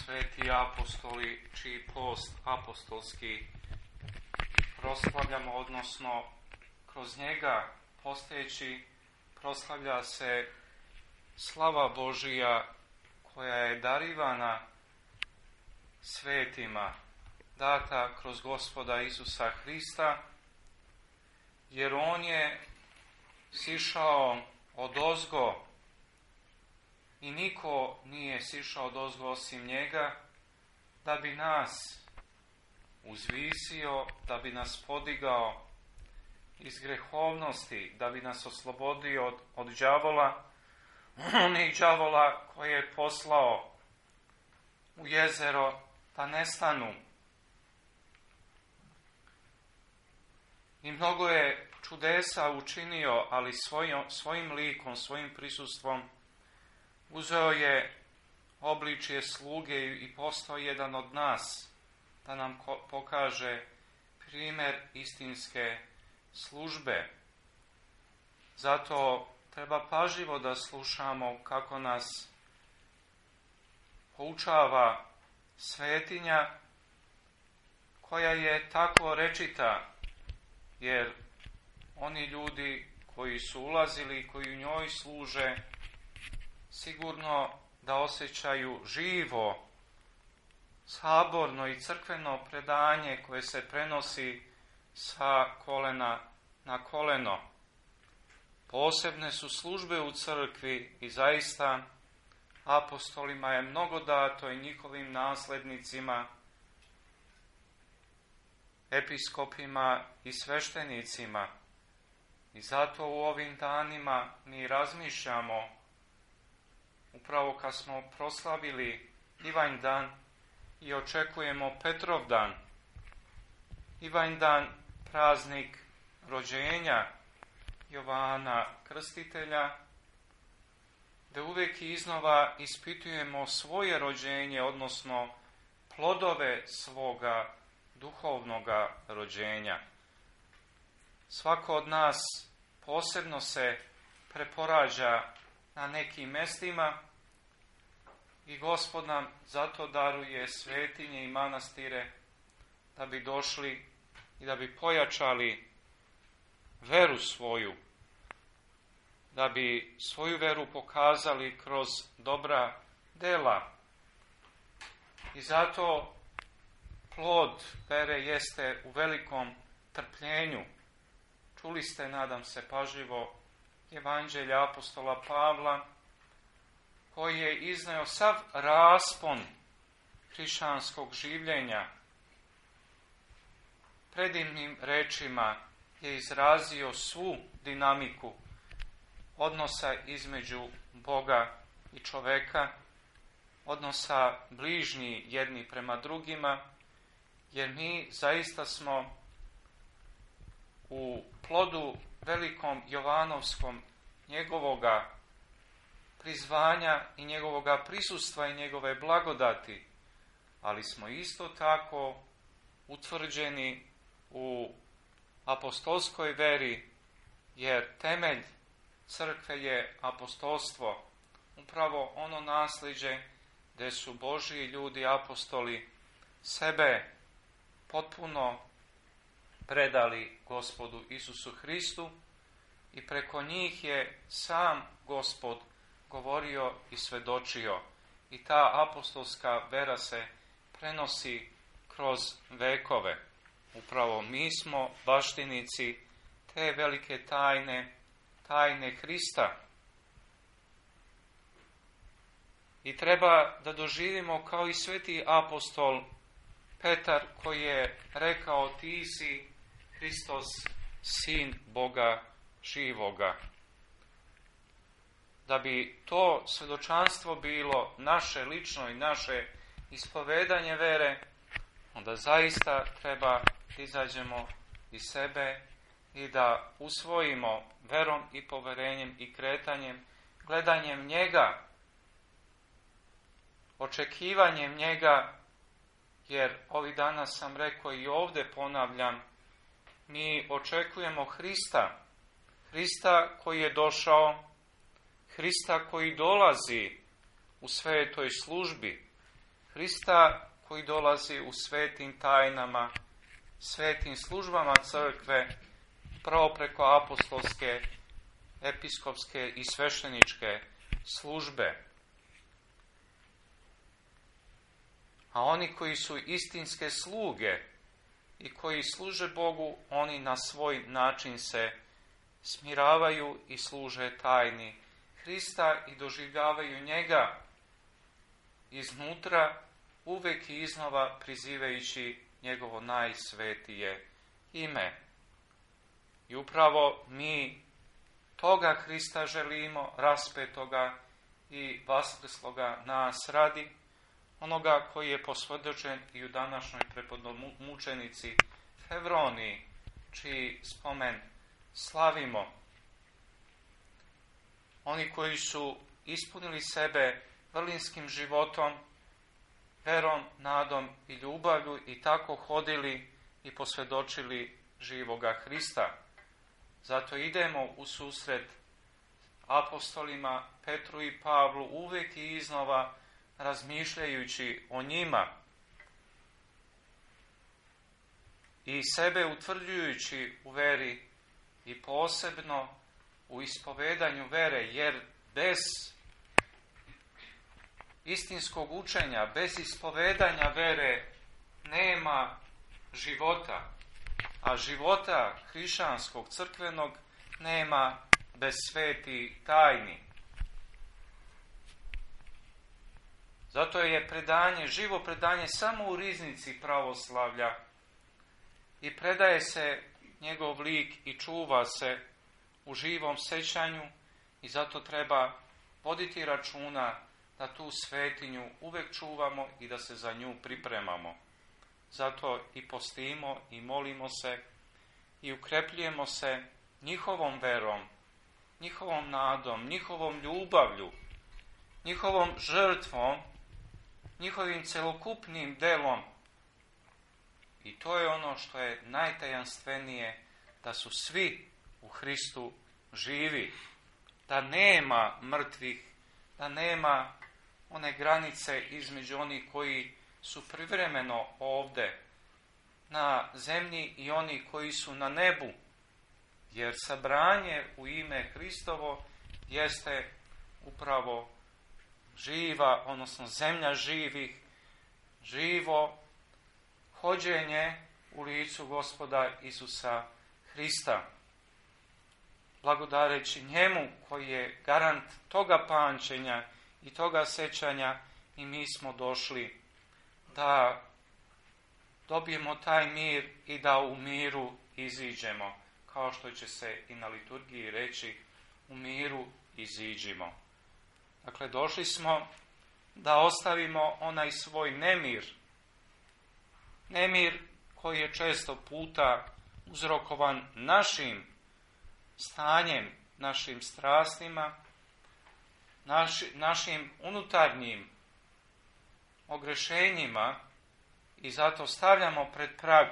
sveti apostoli, čiji post apostolski proslavljamo, odnosno kroz njega posteći proslavlja se slava Božija koja je darivana svetima, data kroz Gospoda Isusa Hrista, jer on je sišao odozgo i niko nije sišao odozgo osim njega, da bi nas uzvisio, da bi nas podigao iz grehovnosti, da bi nas oslobodio od đavola, onih đavola koje je poslao u jezero da nestanu. I mnogo je čudesa učinio, ali svojim likom, svojim prisustvom uzeo je obličje sluge i postao jedan od nas, da nam pokaže primjer istinske službe. Zato treba pažljivo da slušamo kako nas poučava svetinja koja je tako rečita, jer oni ljudi koji su ulazili, koji u njoj služe, sigurno da osjećaju živo, saborno i crkveno predanje koje se prenosi sa kolena na koleno. Posebne su službe u crkvi i zaista apostolima je mnogo dato i njihovim naslednicima, episkopima i sveštenicima. I zato u ovim danima mi razmišljamo, upravo kad smo proslavili Ivanjdan i očekujemo Petrovdan. Ivanjdan, praznik rođenja Jovana Krstitelja, da uvijek iznova ispitujemo svoje rođenje, odnosno plodove svoga duhovnoga rođenja. Svako od nas posebno se preporađa na nekim mestima i Gospod nam zato daruje svetinje i manastire da bi došli i da bi pojačali veru svoju, da bi svoju veru pokazali kroz dobra dela. I zato plod vere jeste u velikom trpljenju. Čuli ste, nadam se, pažljivo Evanđelja apostola Pavla, koji je izneo sav raspon hrišćanskog življenja. Predivnim rečima je izrazio svu dinamiku odnosa između Boga i čoveka, odnosa bližnji jedni prema drugima, jer mi zaista smo u plodu velikom Jovanovskom njegovoga prizvanja i njegovoga prisustva i njegove blagodati, ali smo isto tako utvrđeni u apostolskoj veri, jer temelj crkve je apostolstvo, upravo ono nasljeđe gdje su Božji ljudi, apostoli, sebe potpuno predali Gospodu Isusu Hristu i preko njih je sam Gospod govorio i svedočio. I ta apostolska vera se prenosi kroz vekove. Upravo mi smo baštinici te velike tajne Hrista. I treba da doživimo kao i sveti apostol Petar, koji je rekao: ti si Hristos, sin Boga živoga. Da bi to svjedočanstvo bilo naše lično i naše ispovedanje vere, onda zaista treba izađemo iz sebe i da usvojimo verom i poverenjem i kretanjem, gledanjem njega, očekivanjem njega, jer ovih dana sam rekao i ovdje ponavljam, mi očekujemo Hrista koji je došao, Hrista koji dolazi u svetoj službi, Hrista koji dolazi u svetim tajnama, svetim službama crkve, prvo preko apostolske, episkopske i svešteničke službe. A oni koji su istinske sluge i koji služe Bogu, oni na svoj način se smiravaju i služe tajni Hrista i doživljavaju njega iznutra, uvek i iznova prizivajući njegovo najsvetije ime. I upravo mi toga Hrista želimo, raspetoga i vaskrsloga nas radi, onoga koji je posvjedočen i u današnjoj prepodmučenici Fevroniji, čiji spomen slavimo. Oni koji su ispunili sebe vrlinskim životom, verom, nadom i ljubavlju i tako hodili i posvjedočili živoga Hrista. Zato idemo u susret apostolima Petru i Pavlu uvijek i iznova razmišljajući o njima i sebe utvrđujući u veri i posebno u ispovedanju vere, jer bez istinskog učenja, bez ispovedanja vere nema života, a života hrišćanskog, crkvenog nema bez sveti tajni. Zato je predanje, živo predanje samo u riznici pravoslavlja i predaje se njegov lik i čuva se u živom sećanju i zato treba voditi računa da tu svetinju uvek čuvamo i da se za nju pripremamo. Zato i postimo i molimo se i ukrepljujemo se njihovom verom, njihovom nadom, njihovom ljubavlju, njihovom žrtvom, njihovim celokupnim delom. I to je ono što je najtajanstvenije, da su svi u Hristu živi, da nema mrtvih, da nema one granice između onih koji su privremeno ovde na zemlji i oni koji su na nebu, jer sabranje u ime Hristovo jeste upravo živa, odnosno zemlja živih, živo hođenje u licu Gospoda Isusa Hrista. Blagodareći njemu koji je garant toga pamćenja i toga sećanja, i mi smo došli da dobijemo taj mir i da u miru iziđemo, kao što će se i na liturgiji reći, u miru iziđimo. Dakle, došli smo da ostavimo onaj svoj nemir koji je često puta uzrokovan našim stanjem, našim strastima, našim unutarnjim ogrešenjima, i zato stavljamo pred prag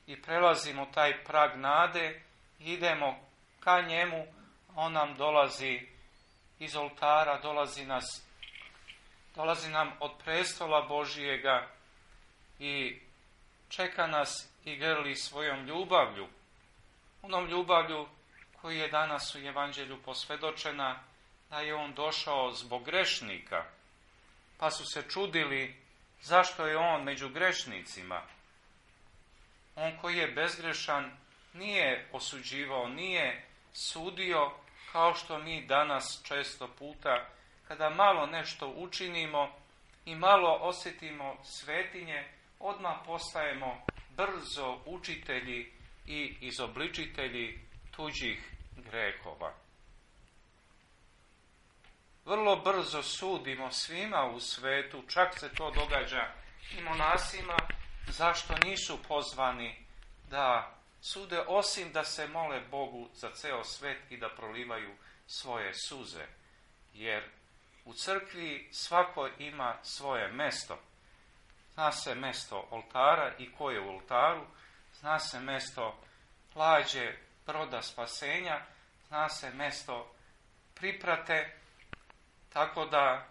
i prelazimo taj prag nade i idemo ka njemu. On nam dolazi iz oltara, dolazi nam od prestola Božijega i čeka nas i grli svojom ljubavlju, onom ljubavlju koji je danas u Evanđelju posvjedočena, da je on došao zbog grešnika, pa su se čudili zašto je on među grešnicima. On koji je bezgrešan nije osuđivao, nije sudio, kao što mi danas često puta, kada malo nešto učinimo i malo osjetimo svetinje, odmah postajemo brzo učitelji i izobličitelji tuđih grehova. Vrlo brzo sudimo svima u svetu, čak se to događa i monasima, zašto nisu pozvani da sude, osim da se mole Bogu za ceo svet i da prolivaju svoje suze. Jer u crkvi svako ima svoje mesto. Zna se mesto oltara i ko je u oltaru, zna se mesto lađe broda spasenja, zna se mesto priprate, tako da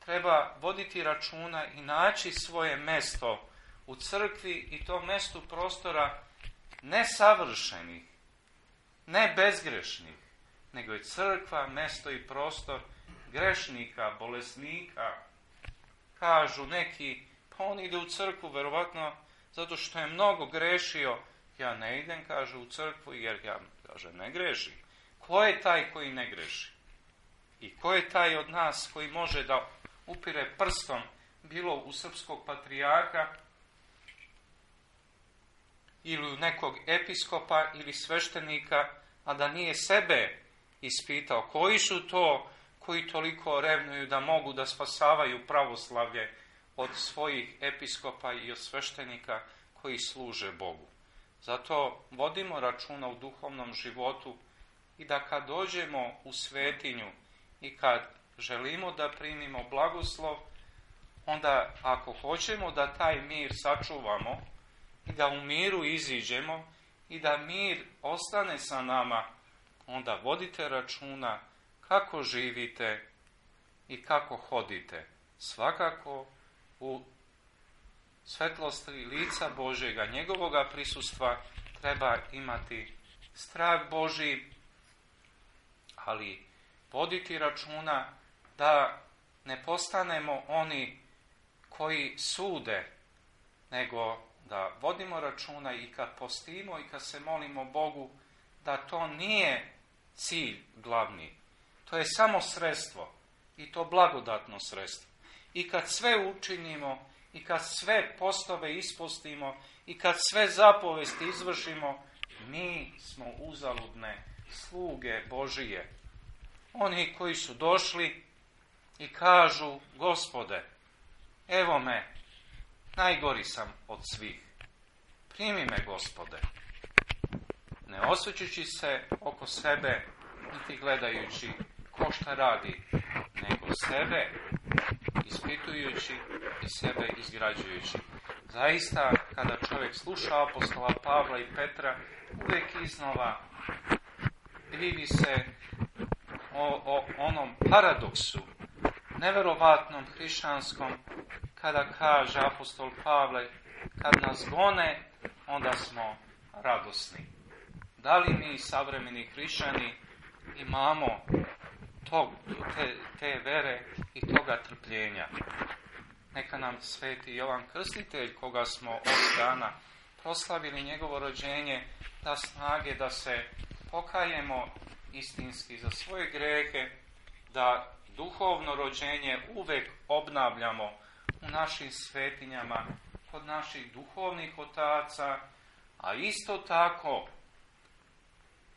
treba voditi računa i naći svoje mesto u crkvi i to mesto prostora nesavršenih, ne bezgrešnih, nego je crkva mesto i prostor grešnika, bolesnika. Kažu neki, pa on ide u crkvu verovatno zato što je mnogo grešio. Ja ne idem, kaže, u crkvu jer ja, kaže, ne grešim. Ko je taj koji ne greši? I ko je taj od nas koji može da upire prstom bilo u srpskog patrijarha ili u nekog episkopa ili sveštenika, a da nije sebe ispitao? Koji su to koji toliko revnuju da mogu da spasavaju pravoslavlje od svojih episkopa i od sveštenika koji služe Bogu? Zato vodimo računa u duhovnom životu i da kad dođemo u svetinju i kad želimo da primimo blagoslov, onda ako hoćemo da taj mir sačuvamo i da u miru iziđemo i da mir ostane sa nama, onda vodite računa kako živite i kako hodite. Svakako u svetlosti lica Božjega, njegovoga prisustva treba imati strah Božji, ali voditi računa da ne postanemo oni koji sude, nego da vodimo računa i kad postimo i kad se molimo Bogu, da to nije cilj glavni. To je samo sredstvo i to blagodatno sredstvo. I kad sve učinimo i kad sve postove ispostimo i kad sve zapovesti izvršimo, mi smo uzaludne sluge Božije. Oni koji su došli i kažu, Gospode, evo me, najgori sam od svih. Primi me, Gospode. Ne osvrćući se oko sebe, niti gledajući ko šta radi, nego sebe ispitujući i sebe izgrađujući. Zaista, kada čovjek sluša apostola Pavla i Petra, uvijek iznova divi se o onom paradoksu, neverovatnom hrišćanskom, kada kaže apostol Pavle, kad nas gone, onda smo radosni. Da li mi, savremeni hrišćani, imamo te vere i toga trpljenja? Neka nam sveti Jovan Krstitelj, koga smo ovog dana proslavili njegovo rođenje, da snage da se pokajemo istinski za svoje grehe, da duhovno rođenje uvek obnavljamo u našim svetinjama, kod naših duhovnih otaca, a isto tako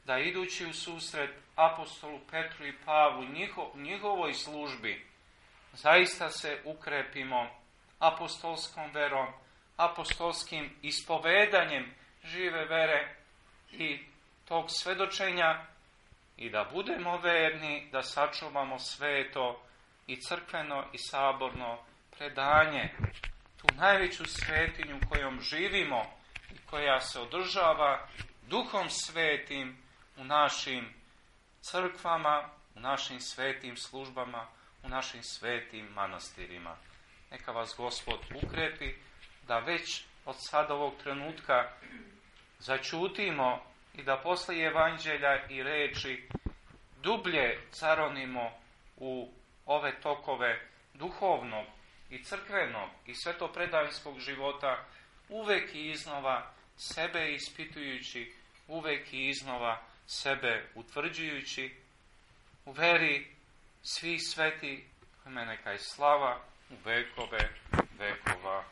da idući u susret apostolu Petru i Pavlu njihovoj službi, zaista se ukrepimo apostolskom verom, apostolskim ispovedanjem žive vere i tog svedočenja i da budemo verni, da sačuvamo sveto i crkveno i saborno predanje, tu najveću svetinju kojom živimo i koja se održava Duhom Svetim u našim crkvama, u našim svetim službama, u našim svetim manastirima. Neka vas Gospod ukrepi da već od sada ovog trenutka začutimo i da posle evanđelja i reči dublje caronimo u ove tokove duhovnog i crkvenog i svetopredanskog života, uvek i iznova sebe ispitujući, uvek i iznova sebe utvrđujući u veri svih sveti, kome neka je slava u vekove vekova.